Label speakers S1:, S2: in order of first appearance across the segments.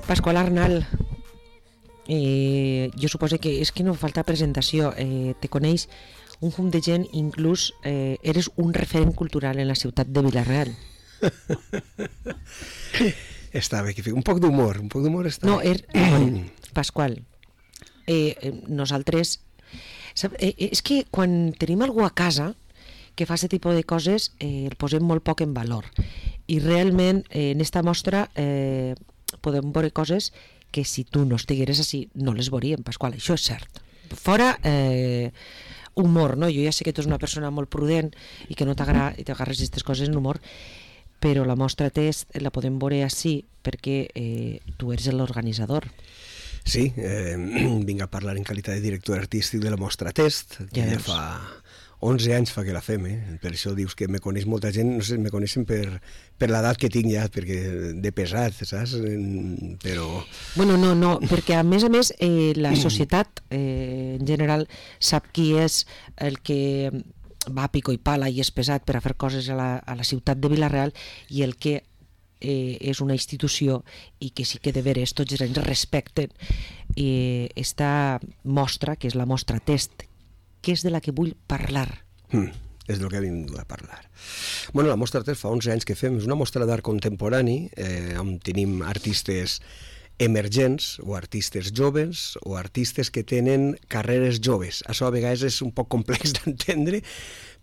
S1: Pasqual Arnal, jo suposo que és que no falta presentació, te coneix un munt de gent, inclús eres un referent cultural en la ciutat de Vila-real.
S2: Està bé, que un poc d'humor està
S1: no,
S2: bé.
S1: Pasqual, nosaltres és que quan tenim algú a casa que fa aquest tipus de coses el posem molt poc en valor, i realment en esta mostra podem veure coses que si tu no estigueres així no les veuríem, Pasqual, això és cert. Fora humor, no? Jo ja sé que tu ets una persona molt prudent i que no t'agarres aquestes coses en humor, però la mostra test la podem veure així perquè tu eres l'organitzador.
S2: Sí, vinc a parlar en qualitat de director artístic de la mostra test, que ja fa 11 anys fa que la fem, per això dius que me coneix molta gent, no sé, me coneixen per l'edat que tinc ja, perquè de pesat, saps? Però...
S1: Bueno, no, perquè a més la societat en general sap qui és el que va a pico i pala i és pesat per a fer coses a la ciutat de Vila-real, i el que és una institució i que sí que de veres tots els anys respecten esta mostra, que és la mostra test, que és de la que vull parlar.
S2: És del que hem vingut a parlar. Bueno, la mostra test fa 11 anys que fem, és una mostra d'art contemporani on tenim artistes emergents o artistes joves o artistes que tenen carreres joves. Això a vegades és un poc complex d'entendre,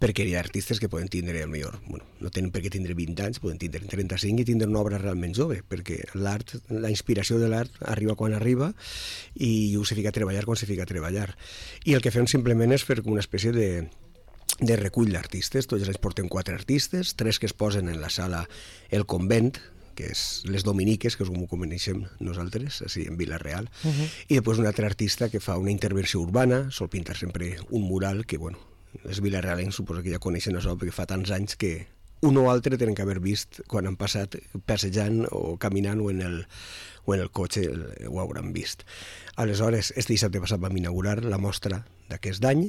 S2: perquè hi ha artistes que poden tindre, no tenen per què tindre 20 anys, poden tindre 35 i tindre una obra realment jove, perquè l'art, la inspiració de l'art arriba quan arriba i se fica a treballar quan se fica a treballar. I el que fem simplement és fer una espècie de recull d'artistes. Tots els anys portem 4 artistes, 3 que es posen en la sala El Convent, que és les Dominiques, que és com ho coneixem nosaltres, així en Vila-real, i després un altre artista que fa una intervenció urbana, sol pintar sempre un mural que, els vilarealencs suposo que ja coneixen això, perquè fa tants anys que un o altre tenen que haver vist quan han passat passejant o caminant o en el cotxe ho hauran vist. Aleshores, este dissabte passat vam inaugurar la mostra d'aquest any,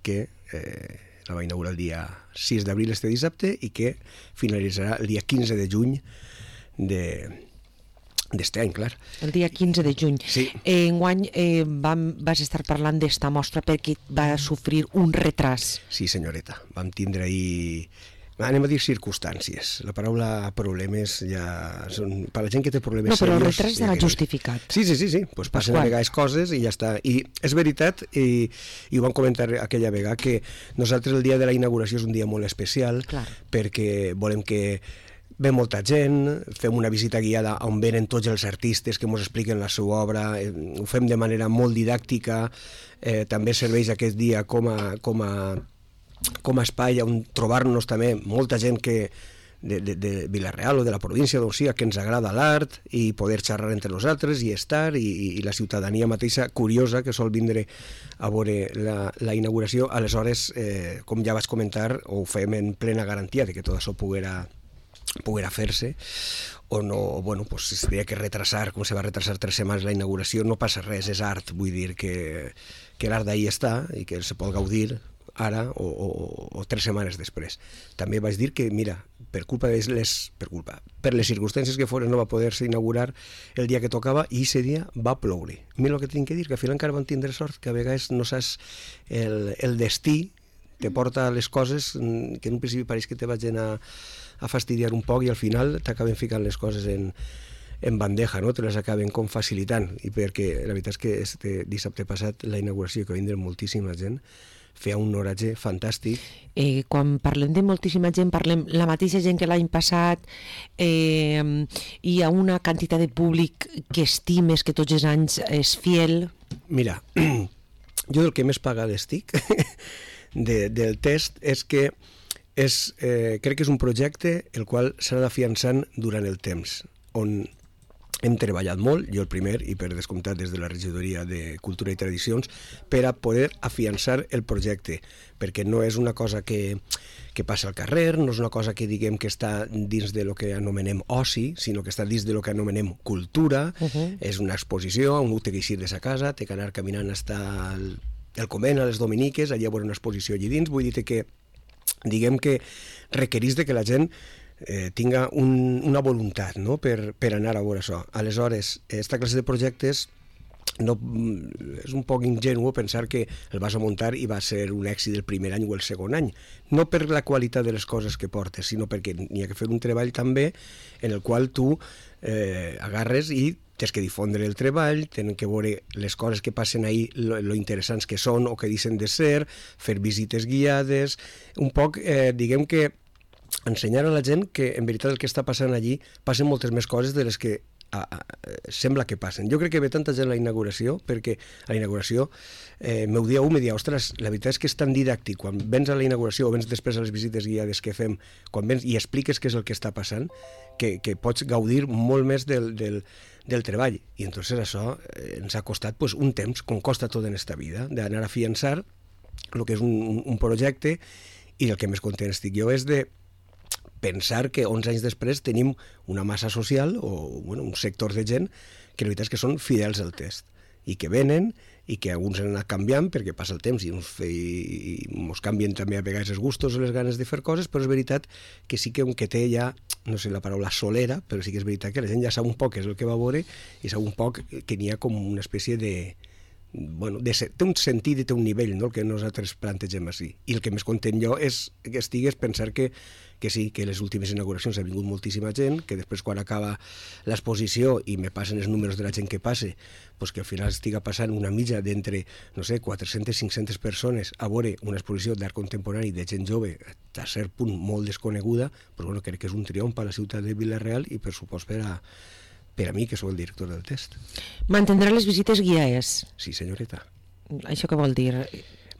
S2: que la va inaugurar el dia 6 d'abril este dissabte i que finalitzarà el dia 15 de juny d'este any, clar.
S1: El dia 15 de juny.
S2: Sí.
S1: Enguany vas estar parlant d'esta mostra perquè va sofrir un retras.
S2: Sí, senyoreta. Vam tindre ahir... Anem a dir circumstàncies. La paraula problemes ja... Per la gent que té problemes
S1: no, però
S2: serios...
S1: el retras era justificat.
S2: Sí. Pues passen a vegades coses i ja està. I és veritat, i ho vam comentar aquella vegada, que nosaltres el dia de la inauguració és un dia molt especial, clar, perquè volem que ve molta gent, fem una visita guiada on venen tots els artistes que ens expliquen la seva obra, ho fem de manera molt didàctica, també serveix aquest dia com a espai on trobar-nos també molta gent que de Vila-real o de la província d'on sigui, que ens agrada l'art i poder xerrar entre nosaltres i estar, i la ciutadania mateixa curiosa que sol vindre a veure la inauguració. Aleshores, com ja vaig comentar, ho fem en plena garantia de que tot això poguera fer-se, o no, pues si havia que retrasar, com se va retrasar 3 setmanes la inauguració, no passa res, és art, vull dir que l'art d'ahir està i que se pot gaudir ara o 3 setmanes després. També vaig dir que, mira, per les circumstàncies que foren no va poder-se inaugurar el dia que tocava i aquest dia va ploure. Mira el que tinc que dir, que al final encara vam tindre sort, que a vegades no saps el destí te porta a les coses que en un principi pareix que te vagin a fastidiar un poc i al final t'acaben ficant les coses en bandeja, no? Te les acaben com facilitant, i perquè la veritat és que este dissabte passat la inauguració, que va vindre moltíssima gent, feia un oratge fantàstic.
S1: Quan parlem de moltíssima gent, parlem la mateixa gent que l'any passat, hi ha una quantitat de públic que estimes, que tots els anys és fiel?
S2: Mira, jo del que més pagat estic del test és que crec que és un projecte el qual s'ha d'afiançant durant el temps, on hem treballat molt, jo el primer, i per descomptat des de la regidoria de Cultura i Tradicions, per a poder afiançar el projecte, perquè no és una cosa que passa al carrer, no és una cosa que diguem que està dins de lo que anomenem oci, sinó que està dins de lo que anomenem cultura. És una exposició on un té que eixir de sa casa, té que anar caminant fins el convent, a les Dominiques, allà hi ha una exposició allà dins. Vull dir que diguem que requereix que la gent tinga una voluntat, no?, per anar a veure això. Aleshores, aquesta classe de projectes no, és un poc ingenu pensar que el vas a muntar i va ser un èxit el primer any o el segon any, no per la qualitat de les coses que portes, sinó perquè n'hi ha que fer un treball també en el qual tu agarres i tens que difondre el treball, tenen que veure les coses que passen ahí, lo interessants que són o que deixen de ser, fer visites guiades, un poc, diguem que ensenyar a la gent que en veritat el que està passant allí passen moltes més coses de les que sembla que passen. Jo crec que ve tanta gent a la inauguració, perquè a la inauguració m'ho dia, ostres, la veritat és que és tan didàctic, quan vens a la inauguració o vens després a les visites guiades que fem, quan vens i expliques què és el que està passant, que pots gaudir molt més del treball. I entonces això ens ha costat un temps, com costa tot en esta vida, d'anar a afiançar el que és un projecte, i el que més content estic jo és de pensar que 11 anys després tenim una massa social o un sector de gent que la veritat és que són fidels al test i que venen i que alguns han anat canviant perquè passa el temps i ens canvien també a vegades els gustos o les ganes de fer coses, però és veritat que sí que té ja, no sé la paraula solera, però sí que és veritat que la gent ja sap un poc què és el que va veure i sap un poc que n'hi ha com una espècie de té un sentit i té un nivell, no?, el que nosaltres plantegem així. I el que més content jo és pensar que sí, que les últimes inauguracions ha vingut moltíssima gent, que després quan acaba l'exposició i me passen els números de la gent que passe, que al final estiga passant una mitja d'entre, no sé, 400-500 persones a veure una exposició d'art contemporani de gent jove, a cert punt molt desconeguda, però crec que és un triomf a la ciutat de Vila-real i per supost per a mi, que sóc el director del test.
S1: Mantindrà les visites guiades?
S2: Sí, senyoreta.
S1: Això què vol dir?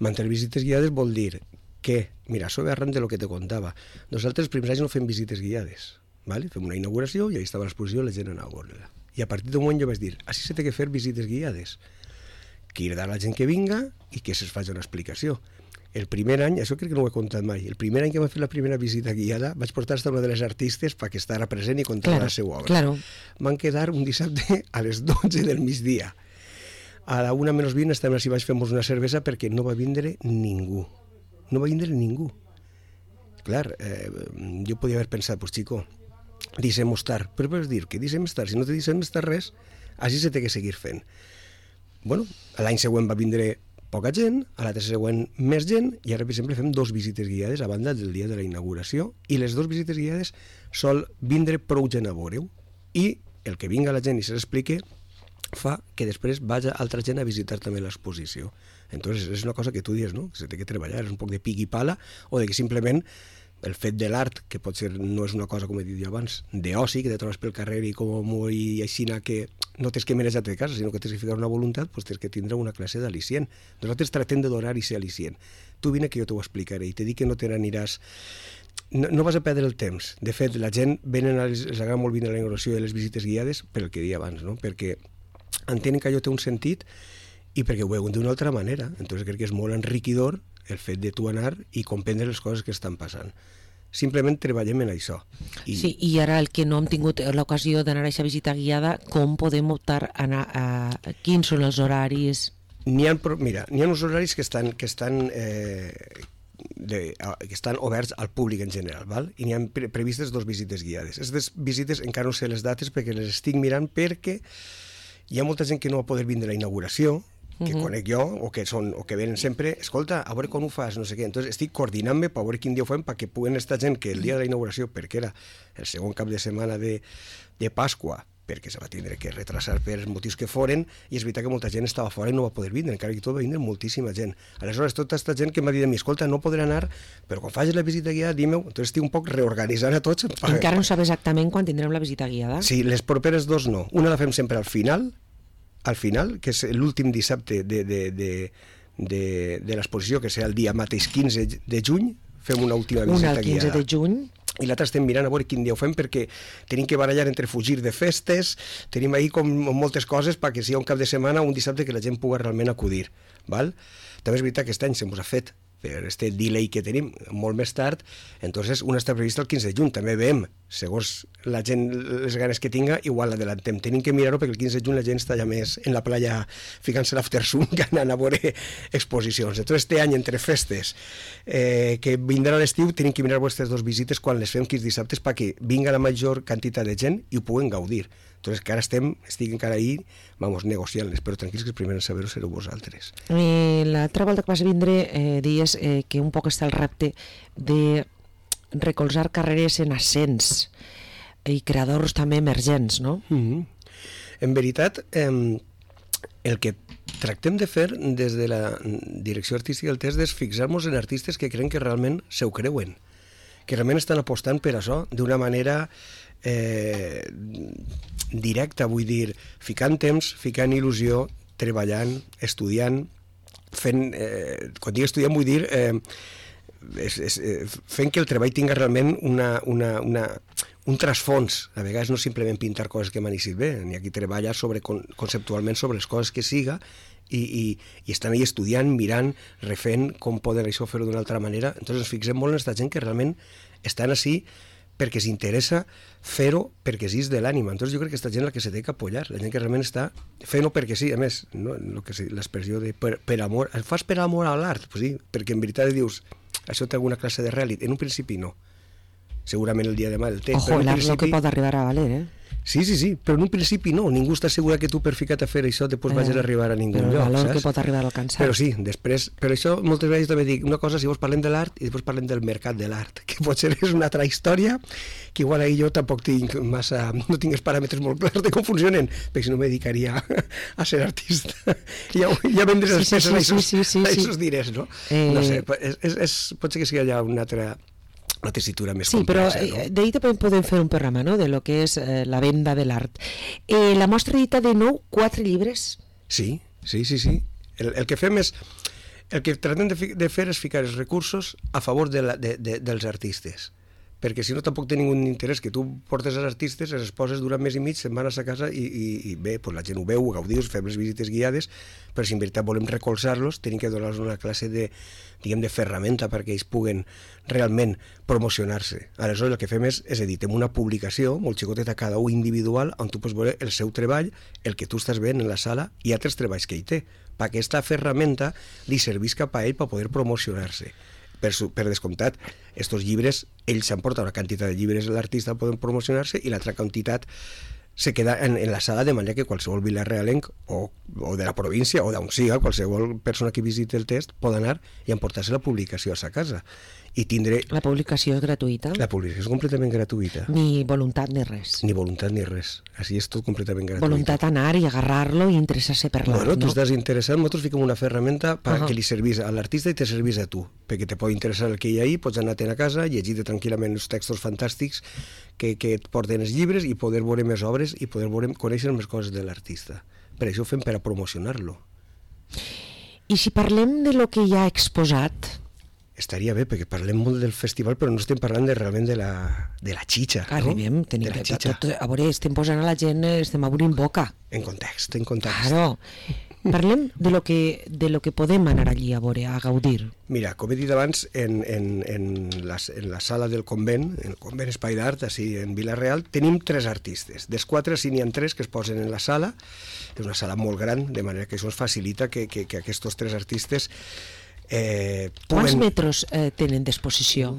S2: Mantenir visites guiades vol dir que, mira, això ve arran de lo que te contava. Nosaltres els primers anys no fem visites guiades, ¿vale? Fem una inauguració i ahí estava l'exposició i la gent anava a veure-la. I a partir d'un moment jo vaig dir, així se té que fer visites guiades. Cridar la gent que vinga i que se'ls faci una explicació. El primer any, això crec que no ho he contat mai, el primer any que vam fer la primera visita guiada vaig portar hasta una de les artistes perquè estava present i contava la seva obra.
S1: Claro.
S2: Van quedar un dissabte a les 12 del migdia. A la 1:20 estàvem així, vaig fer-nos una cervesa perquè no va vindre ningú. No va vindre ningú. Clar, jo podia haver pensat, pues chico, deixem estar. Però vols dir que deixem estar? Si no te deixem estar res, així se té que seguir fent. Bueno, l'any següent va vindre poca gent, a l'altre següent més gent, i ara, per exemple, fem 2 visites guiades a banda del dia de la inauguració, i les 2 visites guiades sol vindre prou gent a veure-ho, i el que vinga la gent i se l'explique fa que després vagi altra gent a visitar també l'exposició. Entonces, és una cosa que tu dius, no?, que se té que treballar, és un poc de pic i pala, o de que simplement el fet de l'art, que potser no és una cosa, com he dit jo abans, d'oci, que te trobes pel carrer i com i aixina que no tens que manejar-te de casa, sinó que tens que ficar una voluntat, doncs tens que tindre una classe d'al·licient. Nosaltres tractem de donar i ser al·licient. Tu vine que jo t'ho explicaré i te dic que no te n'aniràs... No vas a perdre el temps. De fet, la gent els agrada molt vindre a la inauguració i a les visites guiades per el que deia abans, no?, perquè entenen que allò té un sentit i perquè ho veuen d'una altra manera. Entonces crec que és molt enriquidor el fet de tu anar i comprendre les coses que estan passant. Simplement treballem en això.
S1: Sí, i ara el que no hem tingut l'ocasió d'anar a aquesta visita guiada, com podem optar a anar quins són els horaris?
S2: Mira, n'hi ha uns horaris que estan oberts al públic en general, val? I n'hi ha previstes 2 visites guiades. Aquestes visites encara no sé les dates perquè les estic mirant, perquè hi ha molta gent que no va poder vindre a la inauguració, que conec jo, o que venen sempre, escolta, a veure com ho fas, no sé què. Entonces estic coordinant-me per veure quin dia ho fem perquè puguen estar gent que el dia de la inauguració, perquè era el segon cap de setmana de Pasqua, perquè se va tindre que retrasar per els motius que foren, i és veritat que molta gent estava fora i no va poder vindre, encara que tot va vindre moltíssima gent. Aleshores, tota aquesta gent que m'ha dit a mi, escolta, no podré anar, però quan facis la visita guiada, dime-ho. Entonces estic un poc reorganitzant a tots.
S1: Encara no sabes exactament quan tindrem la visita guiada?
S2: Sí, les properes 2 no. Una la fem sempre al final, que és l'últim dissabte de l'exposició, que serà el dia mateix 15 de juny, fem una última visita guiada.
S1: Una el 15 de juny.
S2: I l'altre estem mirant a veure quin dia ho fem, perquè tenim que barallar entre fugir de festes, tenim ahí com moltes coses perquè si hi ha un cap de setmana, un dissabte que la gent pugui realment acudir. Val? També és veritat que aquest any se mos ha fet per este delay que tenim molt més tard, entonces una està prevista el 15 de juny, també veiem, segons la gent les ganes que tinga, igual l'adelantem, tenim que mirar-ho perquè el 15 de juny la gent està ja més en la playa ficant-se l'aftersun que anant a veure exposicions. Entonces este any entre festes que vindrà l'estiu tenim que mirar aquestes dues visites quan les fem quins dissabtes perquè vinga la major quantitat de gent i ho puguen gaudir. Entonces que ara estic encara ahí, vamos, negociant-les, però tranquils que el primer en saber-ho sereu vosaltres.
S1: L'altra volta que vas vindre dies que un poc està el repte de recolzar carreres en ascens i creadors també emergents, no?
S2: En veritat, el que tractem de fer des de la direcció artística del test és fixar-nos en artistes que creuen que realment se ho creuen, que realment estan apostant per això d'una manera directa, vull dir, ficant temps, ficant il·lusió, treballant, estudiant, fent, quan dic estudiant vull dir fent que el treball tinga realment un trasfons, a vegades no simplement pintar coses que m'han eixit bé, ni aquí treballa conceptualment sobre les coses que siga i estan ahí estudiant, mirant, refent com poden això fer-ho d'una altra manera. Entonces ens fixem molt en aquesta gent que realment estan així perquè s'interessa fer-ho perquè sí és de l'ànima. Entonces jo crec que aquesta gent la que se té que apoyar, la gent que realment està fent-ho perquè sí, a més, no? L'expressió de per amor, el fas per amor a l'art, pues sí, perquè en veritat dius, això té alguna classe de realitat. En un principi no. Segurament el dia de demà el té.
S1: Ojo, l'art el que pot arribar a valer,
S2: Sí, però en un principi no. Ningú està segur que tu per ficar-te a fer això després vagis a arribar a ningú lloc,
S1: saps? Però el valor que pot arribar a alcançar.
S2: Però sí, després, per això moltes vegades també dic una cosa, si vos parlem de l'art i després parlem del mercat de l'art, que potser és una altra història, que igual ahir jo tampoc tinc massa, no tinc els paràmetres molt clars de com funcionen, perquè si no me dedicaria a ser artista. Ja vendré les peces a aquests diners, no? No sé, pot ser que sigui ja una altra tessitura més complexa.
S1: Sí, però d'ahir també podem fer un programa, no?, de lo que és la venda de l'art. La mostra edita de nou 4 llibres.
S2: Sí. El que fem és... El que tratem de fer és ficar els recursos a favor dels artistes, perquè si no tampoc té ningú interès que tu portes els artistes, els poses durant mes i mig, se'n van a sa casa i bé, pues la gent ho veu, ho gaudiu, fem les visites guiades, però si en veritat volem recolzar-los tenim que donar-los una classe de, diguem, de ferramenta perquè ells puguen realment promocionar-se. Aleshores el que fem és editem una publicació molt xicoteta cada un individual on tu pots veure el seu treball, el que tu estàs veient en la sala i altres treballs que ell té, perquè aquesta ferramenta li servís cap a ell per poder promocionar-se. Per descomptat, estos llibres, ells s'emporten una quantitat de llibres de l'artista poden promocionar-se i l'altra quantitat se queda en la sala de manera que qualsevol vilarealenc o de la província o d'on siga, qualsevol persona que visiti el test pot anar i emportar-se la publicació a sa casa i tindre...
S1: La publicació és gratuïta?
S2: La publicació és completament gratuïta.
S1: Ni voluntat ni res?
S2: Ni voluntat ni res. Així és tot completament gratuït.
S1: Voluntat anar i agarrar-lo i interessar-se per l'art,
S2: no? Tu estàs interessat, nosaltres fiquem una ferramenta que li servís a l'artista i te servís a tu, perquè te pot interessar el que hi ha ahí, pots anar-te'n a casa, llegir-te tranquil·lament els textos fantàstics que et porten els llibres i poder veure més obres i poder conèixer més coses de l'artista. Per això ho fem per a promocionar-lo.
S1: I si parlem de lo que ja ha exposat...
S2: Estaria bé, perquè parlem molt del festival, però no estem parlant realment de la xitxa.
S1: Arribem, tenim que... A veure, estem posant a la gent, estem obrint boca.
S2: En context.
S1: Claro. Parlem de lo que podem anar allí a veure, a gaudir.
S2: Mira, com he dit abans, en la sala del convent, en el convent Espai d'Art, així en Vila-real, tenim 3 artistes. Dels 4, si n'hi ha 3 que es posen en la sala. És una sala molt gran, de manera que això ens facilita que aquests 3 artistes...
S1: Quants metres tenen d'exposició?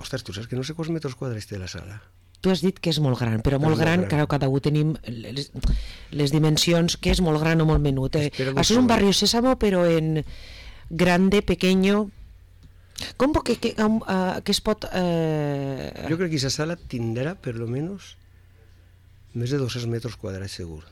S2: Ostres, tu saps que no sé quants metres quadrats té la sala.
S1: Tu has dit que és molt gran, però molt gran, cada un tenim les dimensions, que és molt gran o molt menut. Això és un barri Sésamo, però en grande, pequeño... Com que es pot...
S2: Jo crec que aquesta sala tindrà, per lo menos, més de 200 metres quadrats segur.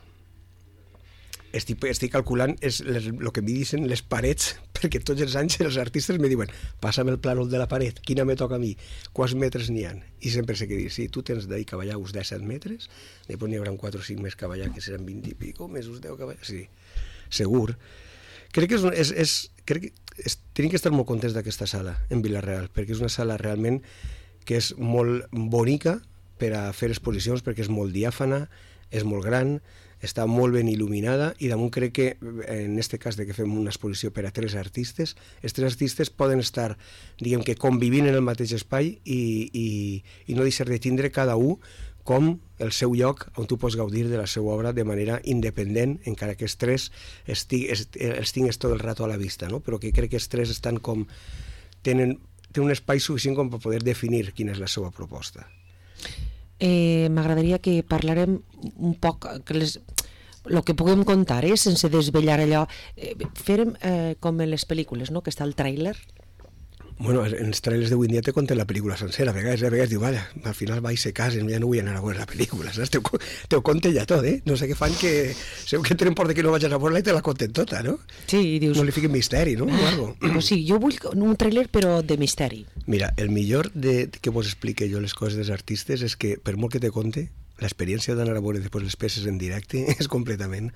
S2: Estic calculant el que em dicen les parets, perquè tots els anys els artistes me diuen passa'm el plànol de la paret, quina me toca a mi, quants metres n'hi ha? I sempre sé que dir, sí, tu tens d'ahir cavallar uns 17 metres, després n'hi haurà 4 o 5 més cavallar, que seran 20 i pico, més uns 10 cavallar, sí, segur. Crec que tenim que estar molt contents d'aquesta sala en Vila-real, perquè és una sala realment que és molt bonica per a fer exposicions, perquè és molt diàfana, és molt gran, està molt ben il·luminada i damunt crec que, en aquest cas de que fem una exposició per a 3 artistes, els 3 artistes poden estar, diguem que, convivint en el mateix espai i no deixar de tindre cada un com el seu lloc on tu pots gaudir de la seva obra de manera independent, encara que els 3 els tingues tot el rato a la vista, no? Però que crec que els 3 estan com... tenen un espai suficient com per poder definir quina és la seva proposta.
S1: M'agradaria que parlarem un poc el que puguem contar, sense desvetllar allò. Fèrem com en les pel·lícules, no? Que està el tràiler.
S2: Bueno, en els trailers d'avui en dia te conten la pel·lícula sencera. A vegades diu, vale, al final va i se casen, ja no vull anar a veure la pel·lícula, saps? Te ho conten ja tot, No sé què fan que... Segur que tenen por de que no vagis a veure-la i te la conten tota, no?
S1: Sí, i dius...
S2: No li fiquen misteri, no?
S1: Pues sí, jo vull un tràiler però de misteri.
S2: Mira, el millor que vos explique jo les coses dels artistes és que, per molt que te conte, l'experiència d'anar a veure després les peces en directe és completament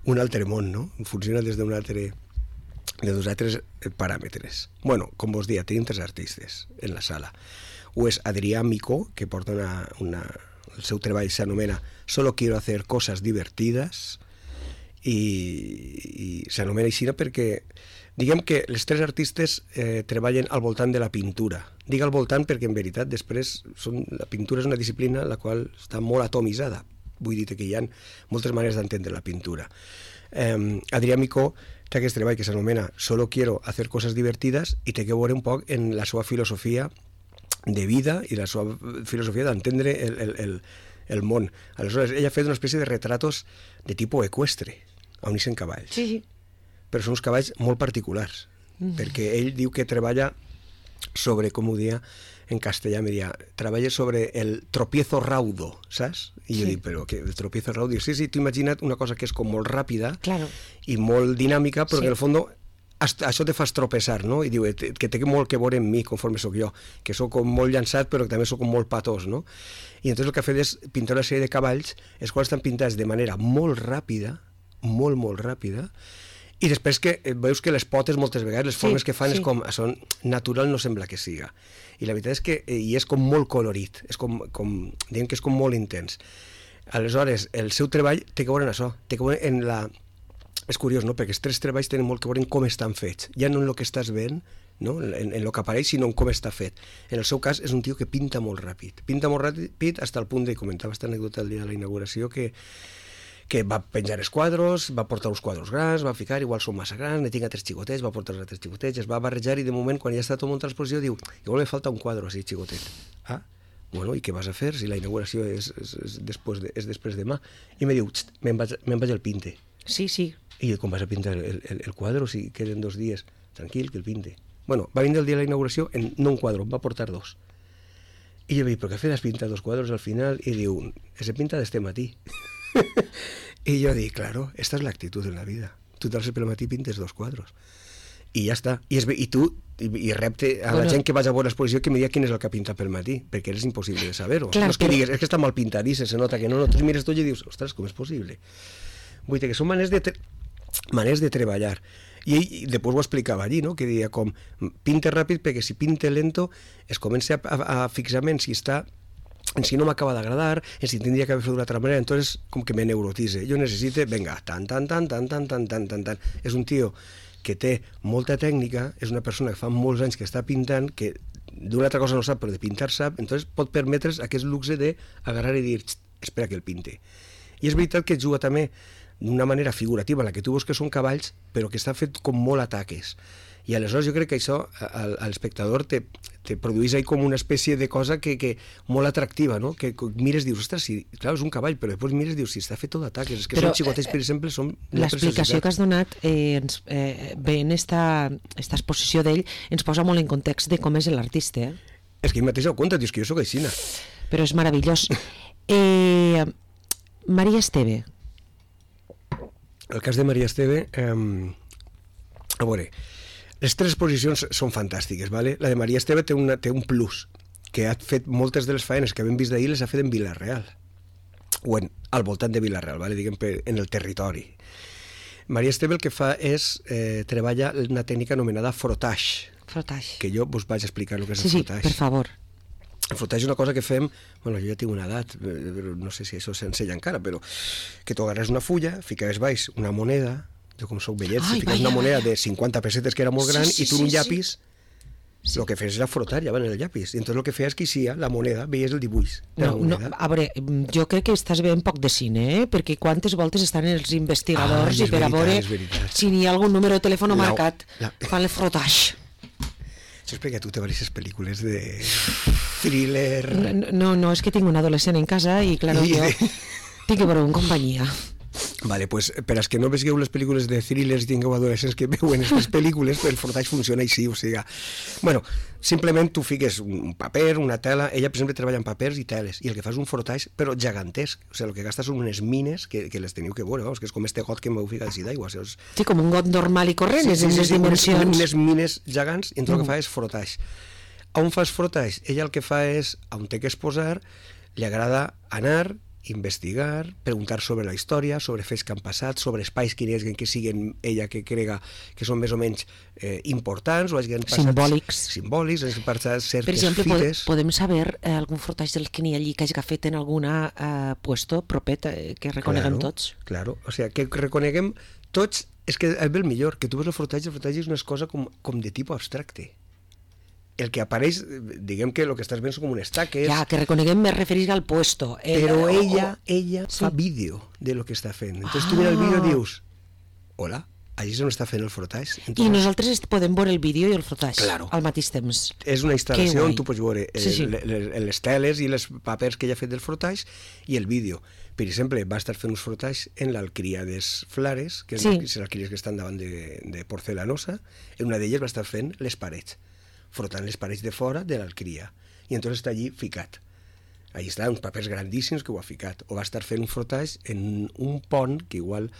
S2: un altre món, no? Funciona des d'un altre... de 2 altres paràmetres. Bueno, com vos dia, tenim 3 artistes en la sala. Un és Adrià Micó, que porta el seu treball s'anomena Solo quiero hacer cosas divertidas, i s'anomena així perquè diguem que els 3 artistes treballen al voltant de la pintura. Dic al voltant perquè en veritat després la pintura és una disciplina la qual està molt atomitzada. Vull dir que hi ha moltes maneres d'entendre la pintura. Adrià Micó té aquest treball que s'anomena Solo quiero hacer cosas divertidas i té que veure un poc en la seva filosofia de vida i la seva filosofia d'entendre el món. Aleshores, ella ha fet una espècie de retratos de tipus eqüestre, on hi són cavalls.
S1: Sí.
S2: Però són uns cavalls molt particulars, perquè ell diu que treballa sobre, com ho dia en castellà, treballa sobre el tropiezo raudo, saps? I jo dic, però que el tropiezo raudo? Sí, tu imagina't una cosa que és com molt ràpida i molt dinàmica, però que en el fons això te fas tropeçar, no? I diu que té molt que veure amb mi, conforme sóc jo, que sóc com molt llançat, però que també sóc com molt patós, no? I entonces el que ha fet és pintar una sèrie de cavalls, els quals estan pintats de manera molt ràpida, molt ràpida, i després que veus que les potes moltes vegades, les formes que fan és com, això natural no sembla que siga. I la veritat és que és com molt colorit, és diguem que és com molt intens. Aleshores, el seu treball té que veure en això, té que veure en la... És curiós, no?, perquè els 3 treballs tenen molt que veure en com estan fets, ja no en el que estàs veient, no?, en el que apareix, sinó en com està fet. En el seu cas és un tio que pinta molt ràpid fins al punt de, comentava aquesta anècdota el dia de la inauguració, que va penjar els quadros, va portar uns quadros grans, va ficar, igual són massa grans, ne tinc 3 xicotets, va portar els 3 xicotets, es va barrejar i de moment, quan ja està tot muntat l'exposició, diu, igual me falta un quadro així, xicotet. Ah, bueno, i què vas a fer si la inauguració és després demà? I me diu, me'n vaig al pinte.
S1: Sí.
S2: I com vas a pintar el quadro si queden 2 dies? Tranquil, que el pinte. Bueno, va vindre el dia de la inauguració, no un quadro, va portar 2. I jo vaig, però què fes? Has pintat 2 quadros al final? I diu, se pinta d'este matí. I jo dic, claro, esta es la actitud en la vida. Tu t'alces pel matí i pintes 2 quadros. I ja està. I tu, i repte a la gent que vaig a veure l'exposició que me diga quin és el que ha pintat pel matí, perquè és impossible de saber-ho. No és que digues, és que està mal pintadís, se nota que no, tu mires tot i dius, ostres, com és possible? Vull dir que són maneres de treballar. I després ho explicava allí, no?, que deia com, pinte ràpid perquè si pinte lento es comença a fixar en si no m'acaba d'agradar, en si tindria que haver fet d'una altra manera, entonces com que me neurotise. Jo necessito, venga, tan. És un tio que té molta tècnica, és una persona que fa molts anys que està pintant, que d'una altra cosa no sap, però de pintar sap, entonces pot permetre's aquest luxe d'agarrar i dir, espera que el pinte. I és veritat que juga també d'una manera figurativa, la que tu veus que són cavalls, però que està fet com molt ataques. I aleshores jo crec que això a l'espectador te produeix ahí com una espècie de cosa que molt atractiva, no? Que mires, dius, ostres, clar, és un cavall, però després mires, dius, si està fet tot d'ataques, és que són xicotets, per exemple, són...
S1: L'explicació que has donat bé en esta exposició d'ell ens posa molt en context de com és l'artista,
S2: És que ell mateix ho conta, dius que jo soc aixina.
S1: Però és meravellós. Maria Esteve.
S2: El cas de Maria Esteve, a veure, les 3 exposicions són fantàstiques, ¿vale? La de Maria Esteve té un plus, que ha fet moltes de les faenes que hem vist d'ahir les ha fet en Vila-real, o al voltant de Vila-real, ¿vale? Diguem, en el territori. Maria Esteve el que fa és treballa una tècnica anomenada frottage.
S1: Frottage.
S2: Que jo vos vaig explicar el que és el frottage.
S1: Sí, per favor.
S2: El frotatge és una cosa que fem, bueno, jo ja tinc una edat, però no sé si això s'ensenya encara, però que tu agarres una fulla, ficaves baix una moneda, jo com soc vellet, ficaves una moneda de 50 pessetes que era molt gran, i tu un llapis, el que feies era frotar ja en el llapis, i entonces el que feies que eixia la moneda, veies el dibuix de la moneda.
S1: A veure, jo crec que estàs veient poc de cine, perquè quantes voltes estan els investigadors i per a veure si n'hi ha algun número de telèfon marcat fan el frotatge.
S2: Això és perquè tu te veuràs pel·lícules de thriller...
S1: No, és que tinc un adolescent en casa i, clar, jo tinc que veure en companyia.
S2: Vale, pues per als que no vegeu les pel·lícules de thrillers i tingueu adolescents que veuen aquestes pel·lícules, el frotatge funciona així, o sigui... Bueno, simplement tu fiques un paper, una tela, ella per exemple treballa en papers i teles, i el que fa és un frotatge, però gegantesc, o sigui, el que gasta són unes mines que les teniu que veure, que és com este got que m'heu ficat així d'aigua.
S1: Sí, com un got normal i corrent, és en les dimensions.
S2: Unes mines gegants, i el que fa és frotatge. On fas frotatge? Ella el que fa és, on té que exposar, li agrada anar, investigar, preguntar sobre la història, sobre fets que han passat, sobre espais que siguen ella que crega que són més o menys importants o hagin passat simbòlics, hagin passat certes
S1: fites. Per exemple, podem saber algun frotatge del que n'hi ha allí que hagi fet en alguna puesto propet que reconeguem tots?
S2: Claro, o sigui, que reconeguem tots, és que és el millor, que tu veus el frotatge és una cosa com de tipus abstracte. El que apareix, diguem que el que estàs veient són com unes taques...
S1: Ja, que reconeguem me referís al puesto.
S2: Però ella fa vídeo de lo que està fent. Entonces tu mira el vídeo i dius, hola, allí és on està fent el frotatge.
S1: I nosaltres podem veure el vídeo i el frotatge al mateix temps.
S2: És una instal·lació on tu pots veure les teles i els papers que ella ha fet del frotatge i el vídeo. Per exemple, va estar fent uns frotatges en l'Alcríades Flares, que són les alquíries que estan davant de Porcelanosa. En una d'elles va estar fent les parets, frotant les parets de fora de l'alqueria, i entonces està allí ficat. Allí està, uns papers grandíssims que ho ha ficat. O va estar fent un frotatge en un pont que igual,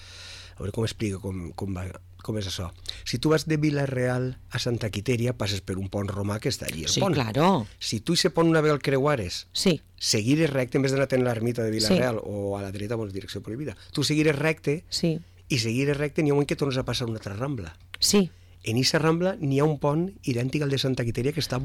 S2: a veure com explica com és això. Si tu vas de Vila-real a Santa Quiteria, passes per un pont romà que està allí, el pont.
S1: Sí, claro.
S2: Si tu i se pont una vegada el creuares, seguires recte, en vez d'anar a l'ermita de Vila-real o a la dreta, direcció prohibida, tu seguires recte i seguires recte, n'hi ha un moment que tornes a passar una altra rambla.
S1: Sí.
S2: En aquesta rambla n'hi ha un pont idèntic al de Santa Quiteria que està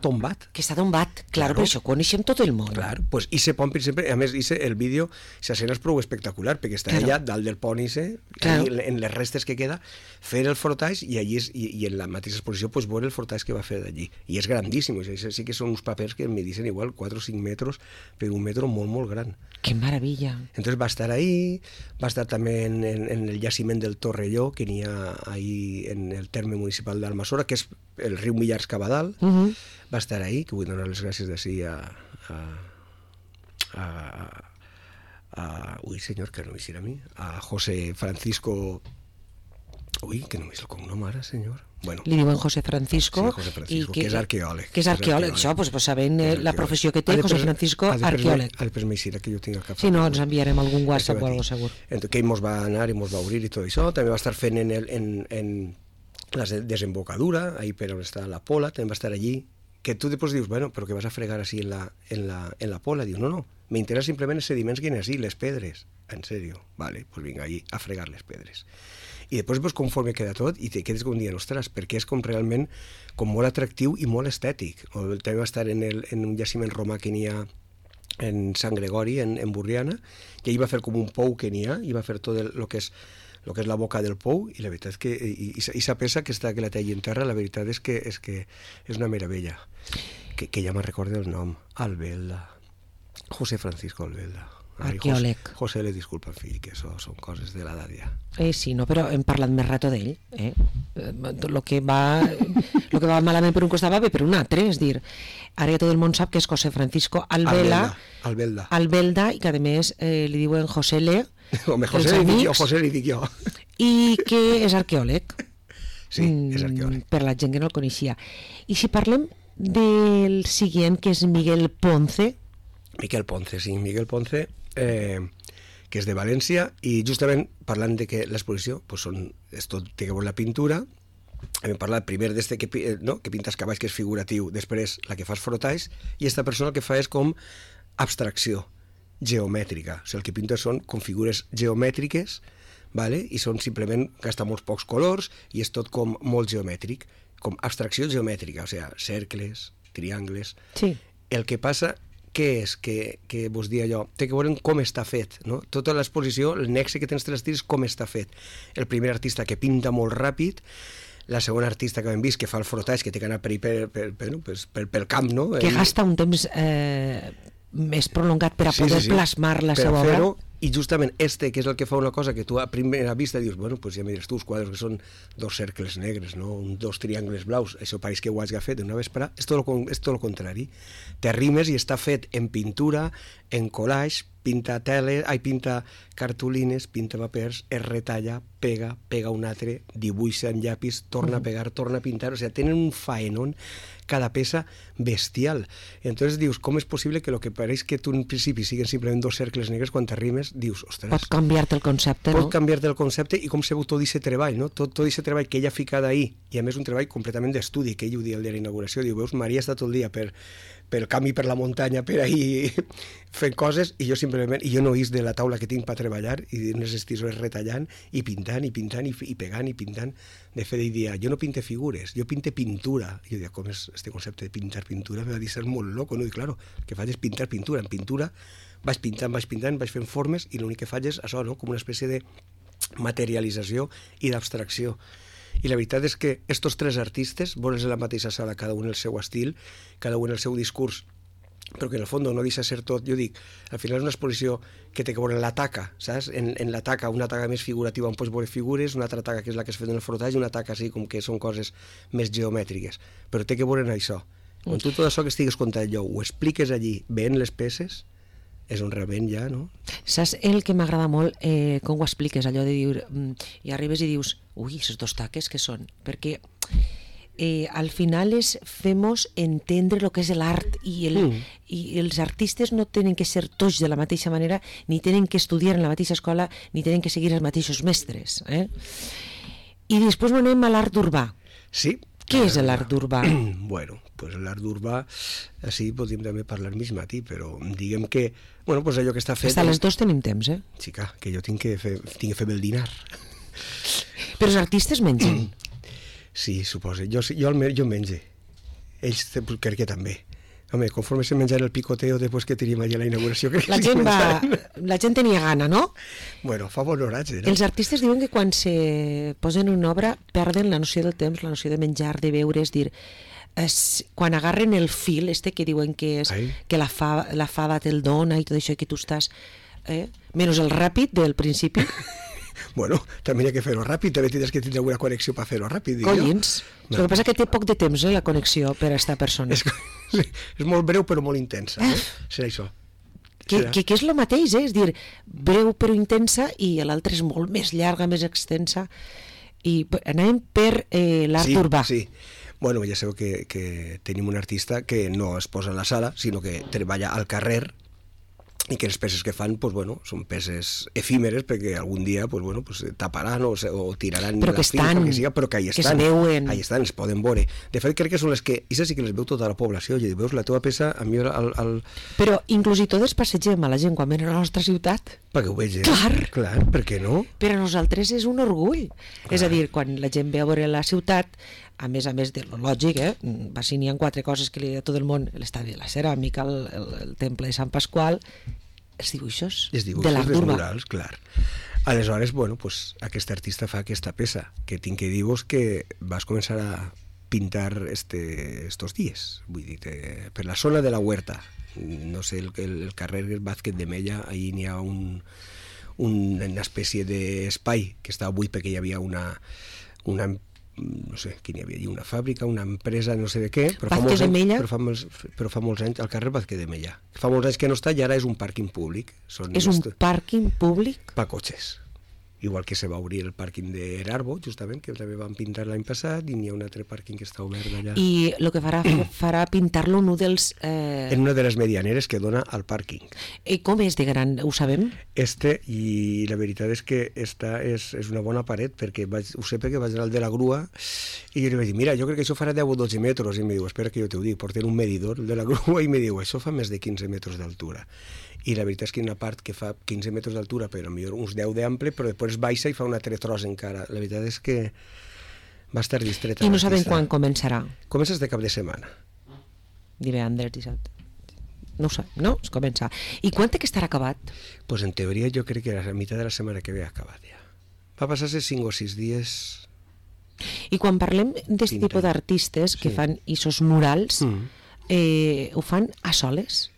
S2: tombat.
S1: Que està tombat, clar, per això coneixem tot el món.
S2: Clar, pues ese pont, per exemple, a més, el vídeo, l'escena és prou espectacular, perquè està allà, dalt del pont, en les restes que queda, fer el frotatge, i en la mateixa exposició veure el frotatge que va fer d'allí. I és grandíssim, sí que són uns papers que me dicen igual 4 o 5 metres per un metro molt, molt gran.
S1: Que maravilla.
S2: Entonces va estar ahí, va estar també en el jaciment del Torrelló, que n'hi ha ahí en el terme municipal d'Almassora, que és el riu Millars Cabadal, va estar ahí, que vull donar les gràcies d'ací ui, senyor, que no m'hi a mi, a José Francisco... Ui, que no m'hi el cognom ara, senyor. Bueno,
S1: li diuen José Francisco,
S2: sí, José Francisco, que és arqueòleg.
S1: Que és arqueòleg, això, pues, sabent la professió que té, José Francisco, arqueòleg.
S2: Després m'eixirà que jo tinc el cap.
S1: Sí, no, ens enviarem algun WhatsApp o alguna cosa, segur.
S2: Que ell mos va anar i mos va obrir i tot això. També va estar fent en la desembocadura, ahí per on està la Pola, també va estar allí, que tu després dius, bueno, però que vas a fregar així en la Pola? Dius, no, m'interessa simplement els sediments que hi ha així, les pedres. En sèrio? Vale, pues vinga, allí a fregar les pedres. I després, pues, conforme queda tot, i te quedes com dient, ostres, perquè és com realment com molt atractiu i molt estètic. O també va estar en un jaciment romà que n'hi ha en Sant Gregori, en Burriana, i ell va fer com un pou que n'hi ha, i va fer tot el que és la boca del pou, i la veritat és que i sa peça que la té allí en terra, la veritat és que és una meravella, que ja me recorda el nom, Albelda, José Francisco Albelda.
S1: Arqueòleg.
S2: José, le disculpa, fill, que això són coses de l'edat ja.
S1: Sí, no, però hem parlat més rato d'ell. Lo que va malament per un costat va bé per un altre, és dir, ara ja tot el món sap que és José Francisco Albelda, i que a més li diuen José Le,
S2: José li dic jo.
S1: I que és arqueòleg.
S2: Sí, és arqueòleg.
S1: Per la gent que no el coneixia. I si parlem del següent, que és Miguel Ponce.
S2: Miguel Ponce, que és de València, i justament parlant de que l'exposició és tot, té que veure la pintura. Hem parlat primer d'este que pintes cavalls, que és figuratiu, després la que fas frotatge, i aquesta persona el que fa és com abstracció geomètrica, o sigui, el que pinta són com figures geomètriques, i són simplement, gasta molts pocs colors, i és tot com molt geomètric, com abstracció geomètrica, o sigui, cercles, triangles...
S1: Sí.
S2: El que passa, què és? Que vos dia allò, té que veure com està fet, no? Tota l'exposició, el nexe que tens entre els tirs, com està fet. El primer artista que pinta molt ràpid, la segona artista que hem vist que fa el frotatge, que té que anar pel camp, no?
S1: Que gasta un temps més prolongat per a poder plasmar la seva obra.
S2: I justament que és el que fa una cosa que tu a primera vista dius, bueno, pues ja mires tu els quadres que són 2 cercles negres, no? 2 triangles blaus, això pareix que ho has fet una vesprada, és tot el contrari. T'arrimes i està fet en pintura, en collage, pinta cartolines, pinta papers, es retalla, pega un altre, dibuixa en llapis, torna a pegar, torna a pintar, o sigui, tenen un faenón cada peça bestial. Entonces dius, com és possible que el que pareix que tu en principi siguin simplement 2 cercles negres, quan t'arrimes dius, ostres...
S1: Pot canviar-te el concepte, no?
S2: Pot canviar-te el concepte i com se veu tot aquest treball, no? Tot aquest treball que ella ha ficat ahí, i a més un treball completament d'estudi, que ell ho dia el dia de la inauguració, diu, veus, Maria està tot el dia pel camp i per la muntanya, per ahí fent coses, i jo simplement, i jo no is de la taula que tinc per treballar, i en les tisores retallant, i pintant, i pegant, i pintant. De fet, ell dia, jo no pinte figures, jo pinte pintura. I jo dia, com és este concepte de pintar pintura? Me va dir, ser molt loco, no? I claro, el que faig és pintar pintura. En pintura vaig pintant, vaig fent formes, i l'únic que faig és això, no? Com una espècie de materialització i d'abstracció. I la veritat és que estos 3 artistes, vols en la mateixa sala, cada un el seu estil, cada un el seu discurs, però que en el fons no deixa ser tot, jo dic, al final és una exposició que té que veure en la taca, saps? En la taca, una taca més figurativa on pots veure figures, una altra taca que és la que es fet en el frotatge, una taca així com que són coses més geomètriques, però té que veure en això. Quan tu tot això que estigues contant allò ho expliques allí, veient les peces, és on realment ja, no?
S1: Saps el que m'agrada molt, com ho expliques, allò de dir, i arribes i dius, ui, aquests 2 taques què són? Perquè al final fem-nos entendre el que és l'art i els artistes no tenen que ser tots de la mateixa manera, ni tenen que estudiar en la mateixa escola, ni tenen que seguir els mateixos mestres. I després anem a l'art urbà.
S2: Sí.
S1: Què és l'art urbà?
S2: Bueno, pues l'art urbà, així podríem també parlar mig matí, però diguem que, bueno, pues allò que està fet...
S1: Hasta les 2 tenim temps,
S2: Xica, que jo tinc que fer el dinar.
S1: Però els artistes mengen.
S2: Sí, suposo. Jo menge. Ells crec que també. Home, conforme se menjara el picoteo després que teníem allà la inauguració...
S1: La gent tenia gana, no?
S2: Bueno, fa bon horatge, no?
S1: Els artistes diuen que quan se posen una obra perden la noció del temps, la noció de menjar, de beure, és dir, quan agarren el fil, que diuen que és que la fava te'l dona i tot això, que tu estàs... Menys el ràpid del principi...
S2: Bueno, també hi ha que fer-ho ràpid, també tindràs que tindre una connexió per fer-ho ràpid.
S1: Collins, el que passa que té poc de temps, la connexió per a esta persona.
S2: És molt breu però molt intensa, serà això.
S1: Que és el mateix, és dir, breu però intensa, i l'altra és molt més llarga, més extensa, i anàvem per l'art urbà.
S2: Sí, bueno, ja sabeu que tenim un artista que no es posa a la sala, sinó que treballa al carrer, i que les peces que fan, pues, bueno, són peces efímeres perquè algun dia pues, taparan o tiraran
S1: però
S2: la finca, que siga, però que ahí estan,
S1: es veuen.
S2: Ahí estan, es poden veure. De fet, crec que són les que, i sí que les veu tota la població, i veus la teva peça, a mi
S1: Però inclús i tots passegem a la gent quan ven a la nostra ciutat.
S2: Perquè ho vegin.
S1: Clar,
S2: per què no?
S1: Per a nosaltres és un orgull. Clar. És a dir, quan la gent ve a veure la ciutat, a més de lo lògic, si n'hi ha 4 coses que li diu a tot el món, l'estadi de la ceràmica, el temple de Sant Pasqual, els dibuixos de l'art urbà.
S2: Murals, clar. Aleshores, bueno, pues, aquest artista fa aquesta peça, que tinc que dir-vos que vas començar a pintar estos dies, vull dir, per la zona de la Huerta, no sé, el carrer Vázquez de Mella, ahí n'hi ha una espècie d'espai que estava buit perquè hi havia una no sé, quin hi havia allí, una fàbrica, una empresa, no sé de què, però fa molts anys, al carrer Vázquez de Mella. Fa molts anys que no està i ara és un pàrquing públic.
S1: És un pàrquing públic?
S2: Per cotxes. Igual que se va obrir el pàrquing d'Erarbo, justament, que també van pintar l'any passat, i n'hi ha un altre pàrquing que està obert allà.
S1: I el que farà pintar-lo en un dels...
S2: En una de les medianeres que dona al pàrquing.
S1: I com és de gran, ho sabem?
S2: I la veritat és que esta és una bona paret, perquè ho sé perquè vaig anar al de la grua, i jo li vaig dir, mira, jo crec que això farà 10 o 12 metres, i em diu, espera que jo t'ho dic, porten un medidor de la grua, i em diu, això fa més de 15 metres d'altura. I la veritat és que hi ha una part que fa 15 metres d'altura, però millor uns 10 d'ample, però després baixa i fa un altre tros encara. La veritat és que va estar distreta.
S1: I no sabem quan començarà?
S2: Comença de cap de setmana.
S1: Divendres, dissabte. no ho sé, no? Es comença. I quan té que estar acabat?
S2: Pues en teoria jo crec que a la meitat de la setmana que ve ha acabat ja. Va passar-se 5 o 6 dies...
S1: I quan parlem d'aquest tipus d'artistes que fan isos murals, ho fan a soles?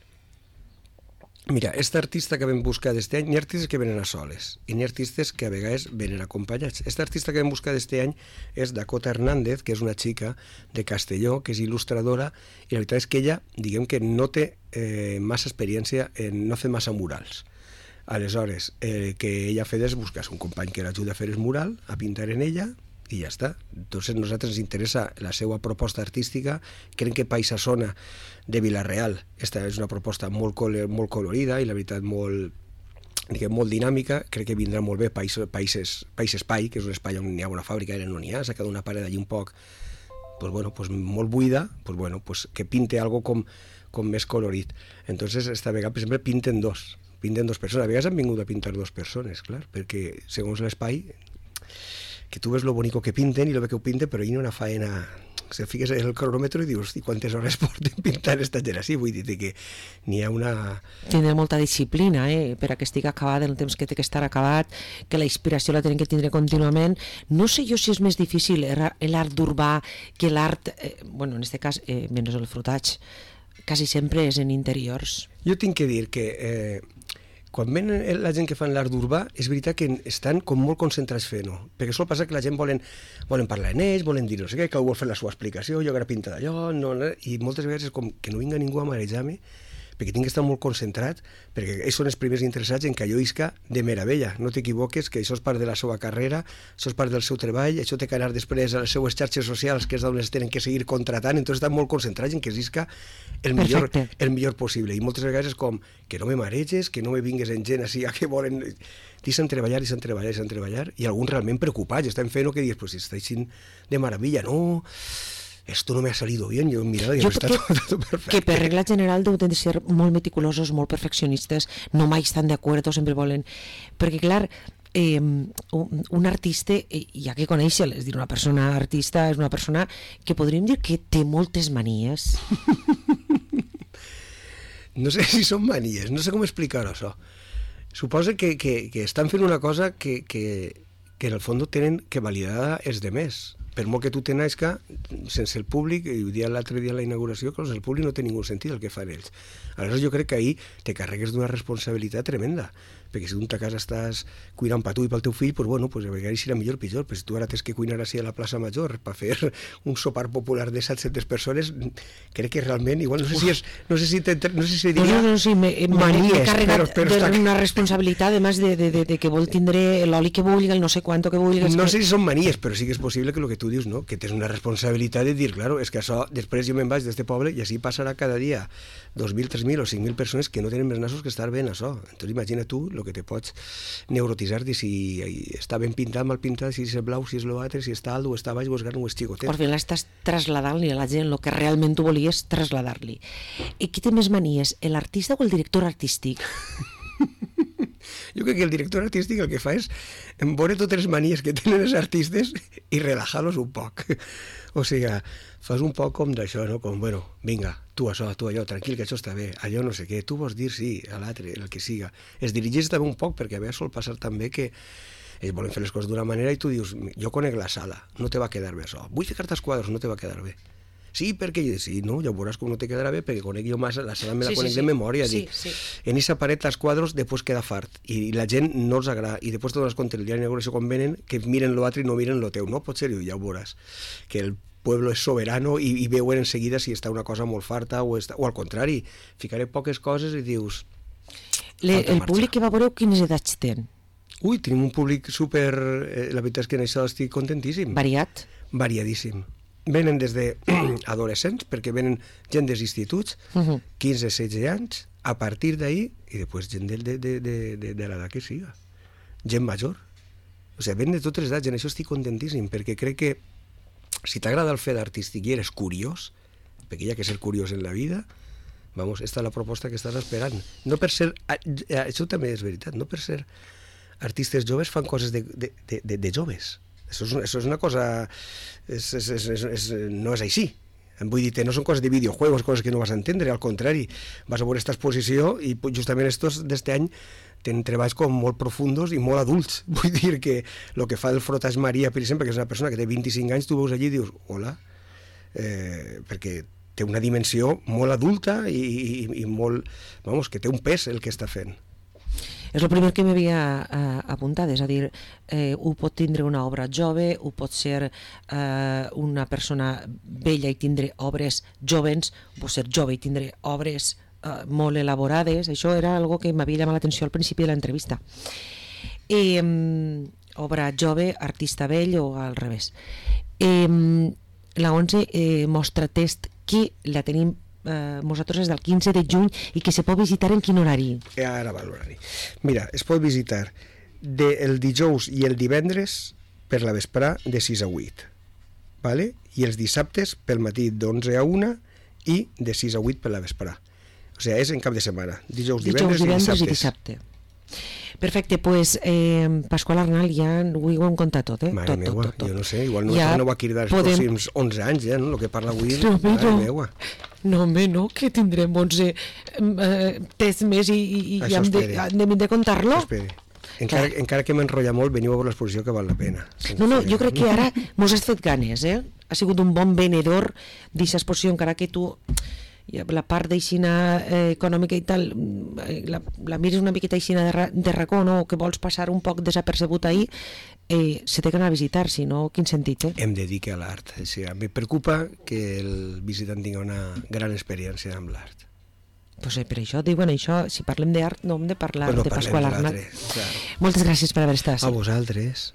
S2: Mira, esta artista que vam buscar d'este any, n'hi ha artistes que venen a soles i n'hi ha artistes que a vegades venen acompanyats. Esta artista que vam buscar d'este any és Dakota Hernández, que és una xica de Castelló, que és il·lustradora, i la veritat és que ella, diguem que no té massa experiència, no fer massa murals. Aleshores, que ella ha fet és buscar un company que l'ajuda a fer el mural, a pintar en ella, i ja està. Entonces, a nosaltres ens interessa la seva proposta artística. Crec que Paisasona de Vila-real, esta és una proposta molt colorida i la veritat molt dinàmica. Crec que vindrà molt bé País Espai, que és un espai on hi ha una fàbrica, ara no n'hi ha, s'ha quedat una paret allí un poc molt buida, que pinte algo com més colorit. Entonces, esta vegada, per exemple, pinten dos persones. A vegades han vingut a pintar 2 persones, clar, perquè segons l'espai, que tu ves lo bonico que pinten i lo bé que ho pinten, però hi ha una faena... Se fiques en el cronòmetre i dius, i quantes hores porten pintant esta gent així? Vull dir que n'hi ha una...
S1: Tindre molta disciplina, per a que estigui acabat en el temps que té que estar acabat, que la inspiració la tenen que tindre contínuament. No sé jo si és més difícil l'art urbà que l'art... en aquest cas, menys el frutatge, quasi sempre és en interiors.
S2: Jo tinc que dir que... quan ven la gent que fan l'art urbà, és veritat que estan com molt concentrats fent-ho, perquè sol passar que la gent volen parlar en ells, volen dir no sé què, que vol fer la seva explicació, jo ara pinta d'allò, i moltes vegades és com que no vinga ningú a marejar-me, perquè tinc que estar molt concentrat, perquè ells són els primers interessats en que allò isca de meravella. No t'equivoques, que això és part de la seva carrera, això és part del seu treball, això té que anar després a les seues xarxes socials, que és on es tenen que seguir contratant, entonces estan molt concentrats en que isca el millor possible. I moltes vegades és com que no me mareges, que no me vingues en gent així que volen... Deixen treballar, i alguns realment preocupats, estan fent-ho que dius, pues si està així de meravella, no... esto no me ha salido bien, yo miraba y está todo perfecto.
S1: Que per regla general deuen de ser molt meticulosos, molt perfeccionistes, no mai estan d'acord, sempre volen... Perquè, clar, un artista, ja que conèixer, és dir, una persona artista és una persona que podríem dir que té moltes manies.
S2: No sé si són manies, no sé com explicar-ho, això. Suposa que estan fent una cosa que en el fons tenen que validar els demés. Per molt que tu tenais que, sense el públic, i ho dia l'altre dia a la inauguració, que sense el públic no té ningú sentit el que fan ells. Aleshores jo crec que ahir te carregues d'una responsabilitat tremenda, perquè si tu a casa estàs cuinant per tu i pel teu fill, pues a vegades serà millor o pitjor, però si tu ara tens que cuinar així a la plaça Major per fer un sopar popular de 700 persones, crec que realment, igual, no sé si diria
S1: manies, però una responsabilitat, a més de que vol tindre l'oli que vulgui, el no sé quanto que vulgui.
S2: No sé si són manies, però sí que és possible que el que tu dius, no? Que tens una responsabilitat de dir, claro, és que això, després jo me'n vaig d'este poble i així passarà cada dia 2.000, 3.000 o 5.000 persones que no tenen més nassos que estar ben això. Entonces imagina tu el que te pots neurotitzar de si està ben pintat, mal pintat, si és blau, si és l'altre, si està alt o està baix o és gran o és xicotet.
S1: Al final estàs trasladant-li a la gent el que realment tu volies trasladar-li. I qui té més manies, l'artista o el director artístic?
S2: Jo crec que el director artístic el que fa és veure totes les manies que tenen els artistes i relajar-los un poc. O sigui, fas un poc com d'això, no? Com, bueno, vinga, tu això, tu allò, tranquil, que això està bé, allò no sé què, tu vols dir sí, a l'altre, el que siga. Es dirigeix també un poc, perquè a vegades sol passar també que ells volen fer les coses d'una manera i tu dius, jo conec la sala, no te va quedar bé això. Vull ficar-te els quadres, no te va quedar bé. Sí, perquè sí, no, ja veuràs com no te quedarà bé, perquè conec jo massa, la sala me la conec de memòria. Sí. En aquesta paret els quadros després queda fart, i la gent no els agrada, i després te dones compte el dia d'inauguració quan venen, que miren l'altre i no miren lo teu, no? Pot ser, ja ho veuràs, que el pueblo és soberano i veuen en seguida si està una cosa molt farta o al contrari, ficaré poques coses i dius...
S1: El públic que va veure, quines edats ten?
S2: Ui, tenim un públic super... La veritat és que en això estic contentíssim.
S1: Variat?
S2: Variadíssim. Venen des d'adolescents, perquè venen gent dels instituts, 15-16 anys, a partir d'ahir, i després gent de l'edat que siga. Gent major. O sigui, venen de totes les edats, en això estic contentíssim, perquè crec que si t'agrada el fet artístic i eres curiós, perquè hi ha que ser curiós en la vida, vamos, esta és la proposta que estàs esperant. No per ser... Això també és veritat, no per ser artistes joves fan coses de joves. Això és una cosa... no és així. Vull dir, no són coses de videojuegos, coses que no vas a entendre, al contrari, vas a veure aquesta exposició i justament estos d'este any tenen treballs com molt profundos i molt adults. Vull dir que el que fa el Frotas Maria, per exemple, que és una persona que té 25 anys, tu veus allí i dius, hola, perquè té una dimensió molt adulta i molt, vamos, que té un pes el que està fent.
S1: És el primer que m'havia apuntat, és a dir, ho pot tindre una obra jove, ho pot ser una persona vella i tindre obres jovens, ho pot ser jove i tindre obres molt elaborades. Això era algo que m'havia llamat l'atenció al principi de l'entrevista. Obra jove, artista vell o al revés. La 11 mostra test que la tenim nosaltres des del 15 de juny i que se pot visitar en quin horari?
S2: Ara va l'horari. Mira, es pot visitar el dijous i el divendres per la vesprà de 6 a 8, vale? I els dissabtes pel matí d'11 a 1 i de 6 a 8 per la vesprà. O sigui, és en cap de setmana, dijous, divendres i dissabte.
S1: Perfecte, doncs Pasqual Arnal ja ho hem contat tot,
S2: Mare meua, jo no sé, igual no va cridar els pròxims 11 anys, ja, no? El que parla avui, mare meua.
S1: No, home, no, que tindrem 11 tests més i hem de contar-lo.
S2: Encara que m'enrotlla molt, veniu a veure l'exposició que val la pena.
S1: No, jo crec que ara mos has fet ganes, ha sigut un bon venedor d'aquesta exposició, encara que tu la part d'eixina econòmica i tal la mires una miqueta aixina de racó, no? Que vols passar un poc desapercebut ahir, se té que anar a visitar, si no, quin sentit,
S2: Hem de dir que l'art, em preocupa que el visitant tingui una gran experiència amb l'art.
S1: Pues per això diuen això, si parlem d'art no hem de parlar de Pasqual Arnal. Moltes gràcies per haver estat.
S2: A vosaltres.